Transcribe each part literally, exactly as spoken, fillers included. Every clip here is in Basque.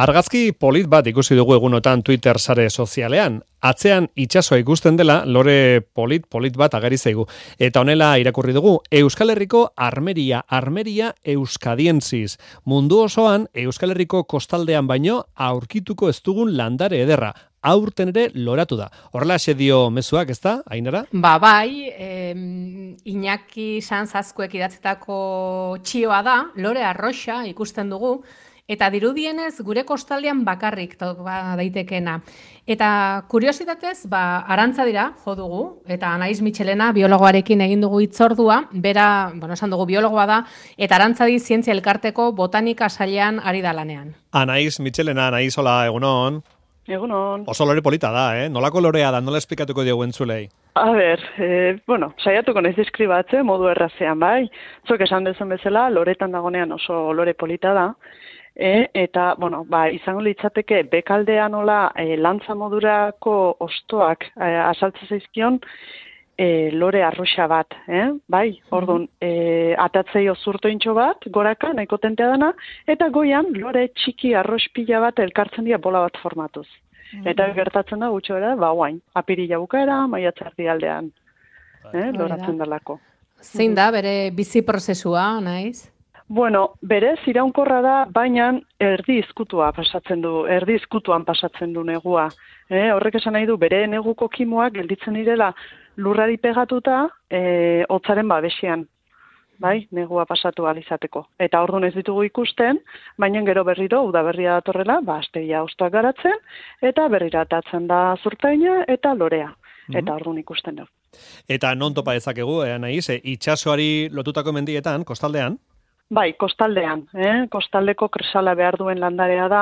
Argazki polit bat ikusi dugu egunotan Twitter sare sozialean. Atzean itsasoa ikusten dela, lore polit polit bat ageri zaigu. Eta honela irakurri dugu, Euskal Herriko armeria, armeria euskadiensis. Mundu osoan, Euskal Herriko kostaldean baino, aurkituko ez dugun landare ederra. Aurten ere loratu da. Horrela dio mezuak, ez da, Ainara? Ba, bai, eh, Iñaki Sanz Azkuek idatzitako txioa da, lore arroxa ikusten dugu, eta dirudienez gure kostaldean bakarrik topa daitekena. Eta kuriositatez, ba, arantza dira, jo dugu, eta Anaiz Michelena biologoarekin egin dugu hitzordua, bera, bueno, esan dugu biologoa da, eta arantzadi zientzia elkarteko botanika sailean ari da lanean. Anaiz Michelena, Anaiz, hola, egunon. Egunon. Oso lore polita da, eh? Nolako lorea da, nola esplikatuko diogu entzulei? A ber, eh, bueno, saiatuko naiz deskribatze modu errazean, bai. Zuk esan dezun bezala, loretan dagonean oso lore polita da. E, eta, bueno, ba, izango litzateke bekaldea nola e, lantza modurako ostoak e, asaltze zaizkion e, lore arroxa bat, eh? Bai, orduan, e, atatzei ozurtointxo bat, goraka, nahiko tentea dana, eta goian lore txiki arroxpila bat elkartzen dira bola bat formatuz. Eta gertatzen da gutxo era, ba, guain, apirila bukaera, maiatzerdi aldean, eh? Loratzen dalako. Zein da, bere bizi prozesua, Naiz? Bueno, berez iraunkorra da, baina erdi izkutua pasatzen du, erdi izkutuan pasatzen du negua. Eh, horrek esan nahi du, bere neguko kimoak gelditzen direla lurrari pegatuta, eh, hotzaren babesean, bai, negua pasatu alizateko. Eta orduan ez ditugu ikusten, baina gero berriro, udaberria datorrela, ba, asteia hostoak garatzen, eta berrira atatzen da zurtaina eta lorea. Eta orduan ikusten du. Eta non topa dezakegu, eh, Anaiz, eh, itsasoari lotutako mendietan, kostaldean? Bai, kostaldean, eh? Kostaldeko kresala behar duen landarea da,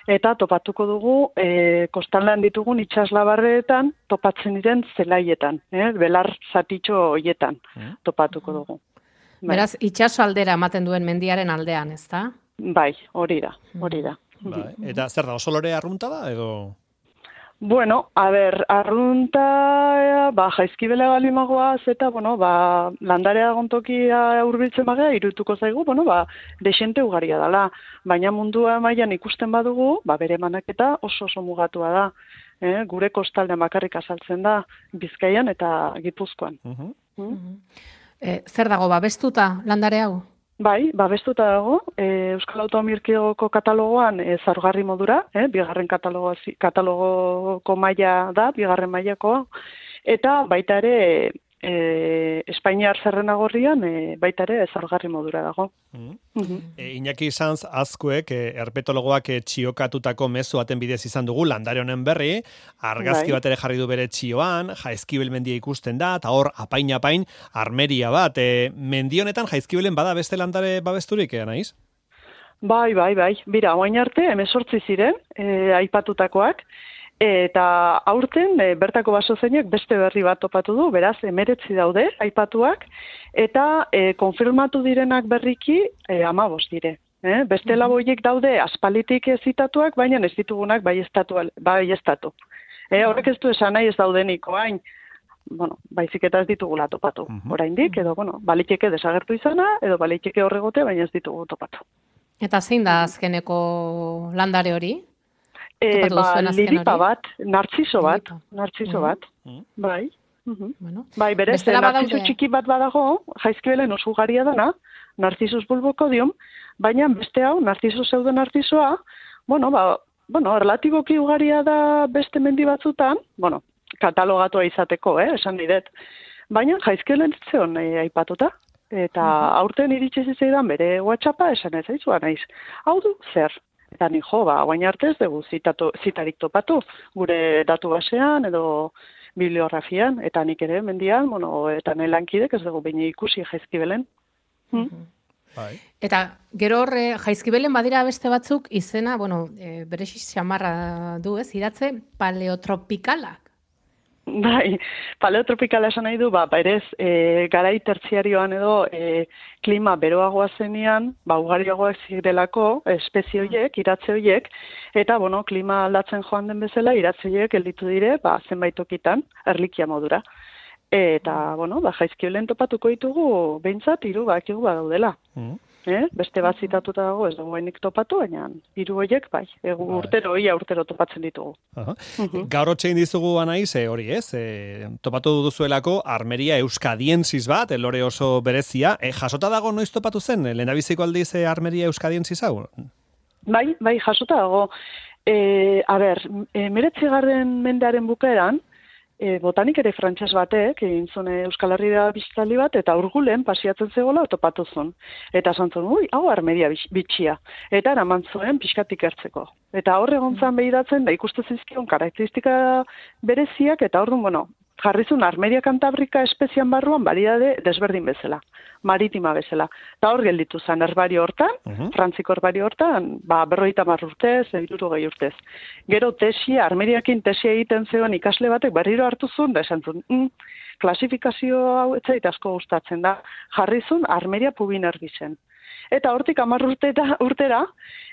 eta topatuko dugu eh, kostaldean ditugun itsaslabarreetan topatzen diren zelaietan, eh? Belar zatitxo hoietan topatuko dugu. Bai. Beraz, itsaso aldera ematen duen mendiaren aldean, ez da? Bai, hori da, hori da. Bai. Eta zer da, oso lore arrunta da, edo? Bueno, a ber, arrunta, ba, jaizkibela galimagoaz, eta, bueno, ba, landarea gontokia hurbiltzen bagea, irutuko zaigu, bueno, ba, desente ugaria dela. Baina mundua mailan ikusten badugu, ba, bere manaketa oso oso mugatua da. Eh? Gure kostaldean bakarrik azaltzen da, Bizkaian eta Gipuzkoan. Uh-huh. Mm? E, zer dago, babestuta landare hau? Bai, babestuta dago, e, Euskal Autonomia Erkidegoko katalogoan e, zaurgarri modura, e, bigarren katalogo, katalogoko maila da, bigarren mailakoa, eta baita ere e, Espainiar zerrenagorrian e, baita ere zaurgarri modura dago. Mm. Mm-hmm. E, Iñaki Sanz Azkuek, e, herpetologoak e, txiokatutako mezu baten bidez izan dugu landare honen berri, argazki bai. bat ere jarri du bere txioan, Jaizkibel mendia ikusten da, eta hor apain-apain armeria bat. E, mendi honetan Jaizkibelen bada beste landare babesturik, eh, Anaiz? Bai, bai, bai. Bira, oain arte, hemezortzi ziren, e, aipatutakoak, eta aurten e, bertako basozeinek beste berri bat topatu du, beraz, emeretzi daude, aipatuak, eta e, konfirmatu direnak berriki e, amabost dire. Eh? Beste mm-hmm. laboiek daude aspalitik zitatuak, baina ez ditugunak baiestatu. baiestatu. E, horrek ez du esan nahi ez daudenik, oain, bueno, baizik eta ez ditugula topatu. Mm-hmm. Oraindik, edo, bueno, baliteke desagertu izana, edo baliteke horregote, baina ez ditugu topatu. Eta zein da azkeneko landare hori? E, ba, liripa bat, nartziso bat, nartziso bat, uh-huh. bai. Uh-huh. Bueno, bai, berez, nartziso txiki bat badago, Jaizkibelen oso ugaria dana, Narcisus bulbocodium, baina beste hau, narziso zeude narzisoa, bueno, ba, bueno, relatiboki ugaria da beste mendi batzutan, bueno, katalogatua izateko, eh, esan didet, baina Jaizkibelen zeon eh, aipatuta, eta uh-huh. aurten iritsi zitzaidan bere WhatsAppa esan ez aizua naiz. Hau du, zer? Eta ni jo, ba, guain arte ez dugu zitatu, zitarik topatu, gure datu basean edo bibliografian, eta nik ere mendian, bueno, eta nelankidek ez dugu baina ikusi Jaizkibelen. Hmm? Bai. Eta gero horre Jaizkibelen badira beste batzuk izena, bueno, e, berexi xamarra du ez, idatze paleotropikalak. Bai, paleotropikala esan nahi du, ba, berez, e, garai tertziarioan edo e, klima beroagoa zenean, ba, ugariagoak zirelako espezie horiek, iratze horiek, eta, bueno, klima aldatzen joan den bezala, iratze horiek gelditu dire, ba, zenbait tokitan, erlikia modura. Eta, bueno, ba, Jaizkibelen topatuko ditugu, behintzat, hiru bakigu badaudela. Mm. Eh? Beste bat zitatuta dago, ez dago hainik topatu, baina hiru horiek, bai, egu, urtero, ia urtero topatzen ditugu. Uh -huh. Gaur otxein dizugu anaiz, e, hori ez, e, topatu duzuelako Armeria Euskadiensis bat, lore oso berezia, e, jasota dago noiz topatu zen, lehendabiziko aldiz e, Armeria Euskadiensis hau? Bai, bai, jasota dago. E, a ber, e, meretzigarren mendearen bukaeran, E, botanik ere frantses batek, egin zuen Euskal Herria bizitali bat, eta urgulen pasiatzen zegoela topatu zuen. Eta esan zuen, ui, hau Armeria bitxia. Eta eraman zuen pixkatik ertzeko. Eta horre gontzan behiratzen, da ikuste zizkion karakteristika bereziak, eta orduan, bueno, jarrizun Armeria Kantabrika espezian barruan variedade desberdin bezala, maritima bezala. Eta hor gelditu zen herbari hortan, uh -huh. Frantziko herbari hortan, ba, berrogeita hamar urtez, hirurogei urtez. Gero tesia, Armeriakin tesia egiten zegoen ikasle batek berriro hartu zuen, da esan zuen, mm, klasifikazio hau etzait asko gustatzen da, jarrizun Armeria Pubinerbizen. Eta hortik hamar urtera, urtera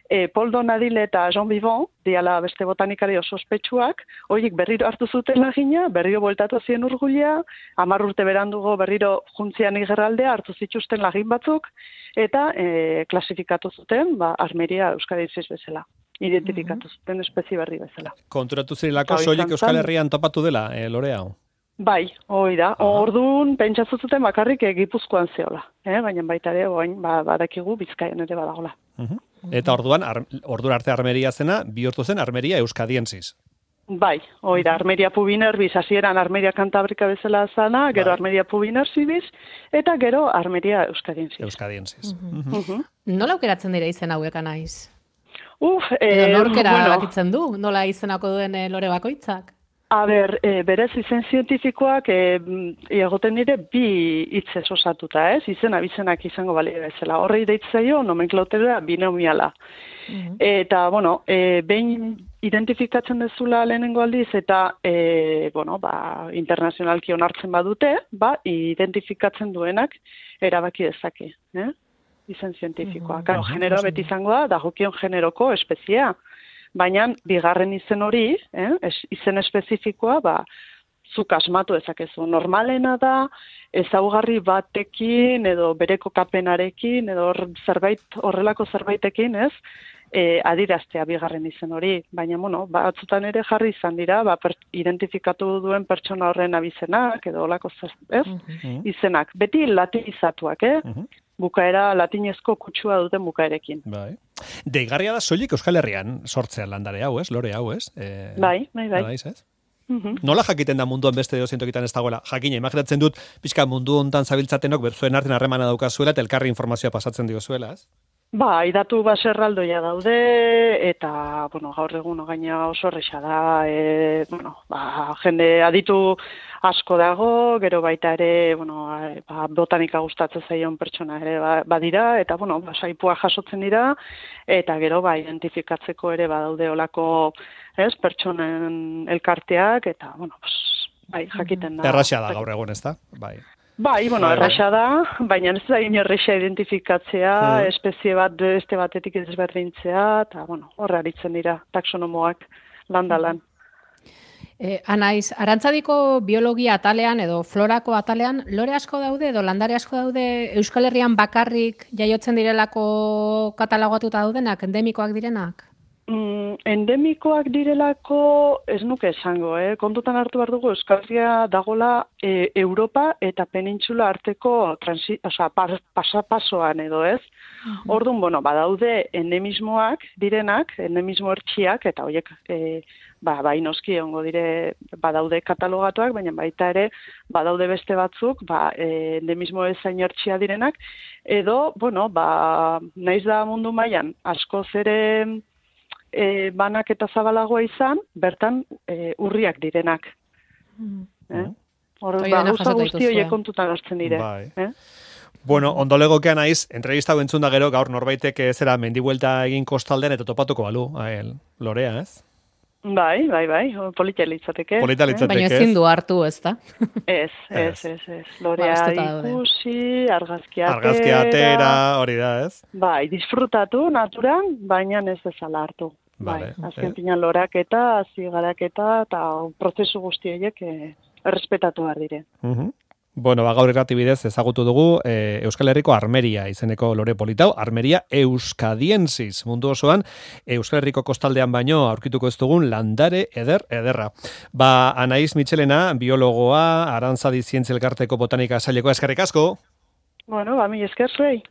e, Paul Donadille eta Jean Vivant, diala beste botanikari oso ospetsuak, horiek berriro hartu zuten lagina, berriro bueltatu zien urgulia, hamar urte berandugo berriro juntzian igerraldea hartu zituzten lagin batzuk, eta e, klasifikatu zuten ba, Armeria Euskadiensis bezala. Identifikatu zuten espezie berri bezala. Konturatu zirilako soilik Euskal Herrian topatu dela, e, lore hau? Bai, hoi da. Orduan pentsatu zuten bakarrik e, Gipuzkoan zeola. Eh? Baina baita ere, oain, ba, badakigu Bizkaian ere badagola. Uh-huh. Eta orduan, ar, ordu arte Armeria zena, bihurtu zen Armeria Euskadiensis. Bai, hoi da, Armeria Pubinerbiz, hasieran Armeria Kantabrika bezala zana, gero bai. Armeria Pubinerbiz, eta gero Armeria Euskadiensis. Euskadiensis. Uh-huh. Uh-huh. Nola aukeratzen dira izen hauek anaiz? Uf, eh, Edo norkera bueno, bakitzen du, nola izenako duen e, lore bakoitzak? A ber, e, berez izen zientifikoak e, egoten dire bi hitzez osatuta, ez? Izen abizenak izango balia bezala. Horrei deitzaio nomenklatura binomiala. Uh-huh. Eta, bueno, e, behin identifikatzen dezula lehenengo aldiz eta, e, bueno, ba, internazionalki onartzen badute, ba, identifikatzen duenak erabaki dezake, eh? Izen zientifikoa. Uh-huh. Karo, generoa beti izango da, dagokion generoko espeziea. Baina, bigarren izen hori, eh, izen espezifikoa, ba, zuk asmatu ezakezu. Normalena da, ezaugarri batekin, edo bereko kapenarekin, edo zerbait, horrelako zerbaitekin, ez, e, adiraztea bigarren izen hori. Baina, bueno, batzutan ere jarri izan dira, ba, per, identifikatu duen pertsona horren abizenak, edo olako ez, uh-huh. izenak. Beti latinizatuak, eh? Uh-huh. Bukaera latinezko kutsua duten bukaerekin. Bai. Deigarria da soilik Euskal Herrian sortzean landare hau, ez? Lore hau, ez? E, bai, bai, bai. Naiz, ez? Uh-huh. Nola jakiten da munduan beste dozientokitan ez dagoela? Jakina, imaginatzen dut, pixka mundu hontan zabiltzatenok, zuen artean harremana daukazuela, eta elkarri informazioa pasatzen diozuela, ez? Ba, idatu baserraldoia daude, eta, bueno, gaur egun gaina oso horreza da, e, bueno, ba, jende aditu asko dago, gero baita ere, bueno, ba, botanika gustatzen zaion pertsona ere badira, eta, bueno, ba, saipua jasotzen dira, eta gero, ba, identifikatzeko ere badaude olako, ez, pertsonen elkarteak, eta, bueno, pues, bai, jakiten da. Erraxa da gaur egun, ez da? Bai. Bai, bueno, erraxa da, baina ez da inorreixa identifikatzea, hmm. espezie bat beste batetik ezberdintzea, eta, bueno, horre aritzen dira, taksonomoak landalan. Eh, Anaiz, arantzadiko biologia atalean edo florako atalean, lore asko daude edo landare asko daude Euskal Herrian bakarrik jaiotzen direlako katalogatuta daudenak, endemikoak direnak? Mm, endemikoak direlako ez nuke esango, eh? Kontutan hartu behar dugu Euskal Herria dagola e, Europa eta Penintsula arteko transi, oza, pasapasoan edo ez. Uh-huh. Orduan, bueno, badaude endemismoak direnak, endemismo ertxiak, eta horiek e, ba, bai noski ongo dire badaude katalogatuak, baina baita ere badaude beste batzuk, ba, e, endemismo ezain ertxia direnak, edo, bueno, ba, naiz da mundu mailan askoz ere E, banak eta zabalagoa izan, bertan e, urriak direnak. Mm. Eh? Horrez, ba, gauza guzti horiek kontutan hartzen dire. Bai. Eh? Bueno, ondolegokean naiz, entrevista hau entzun da gero, gaur norbaitek zera mendibuelta egin kostaldean eta topatuko balu, el, lorea, ez? Bai, bai, bai, polita litzateke. Polita litzateke, eh? Baina ezin du hartu, ez da? Ez, ez, ez, ez. Lorea ikusi, argazkiatera. Argazkiatera, hori da, ez? Bai, disfrutatu naturan, baina ez bezala hartu. Vale, bai, azken eh. finan loraketa, zigaraketa, eta prozesu guzti horiek eh, errespetatu behar dire. Uh-huh. Bueno, ba, gaur irratibidez ezagutu dugu e, Euskal Herriko armeria izeneko lore politau, armeria euskadiensis, mundu osoan Euskal Herriko kostaldean baino aurkituko ez dugun landare eder ederra. Ba, Anaiz Mitxelena, biologoa, Arantzadi Zientzia Elkarteko botanika saileko, eskerrik asko. Bueno, ba, mi esker zuei.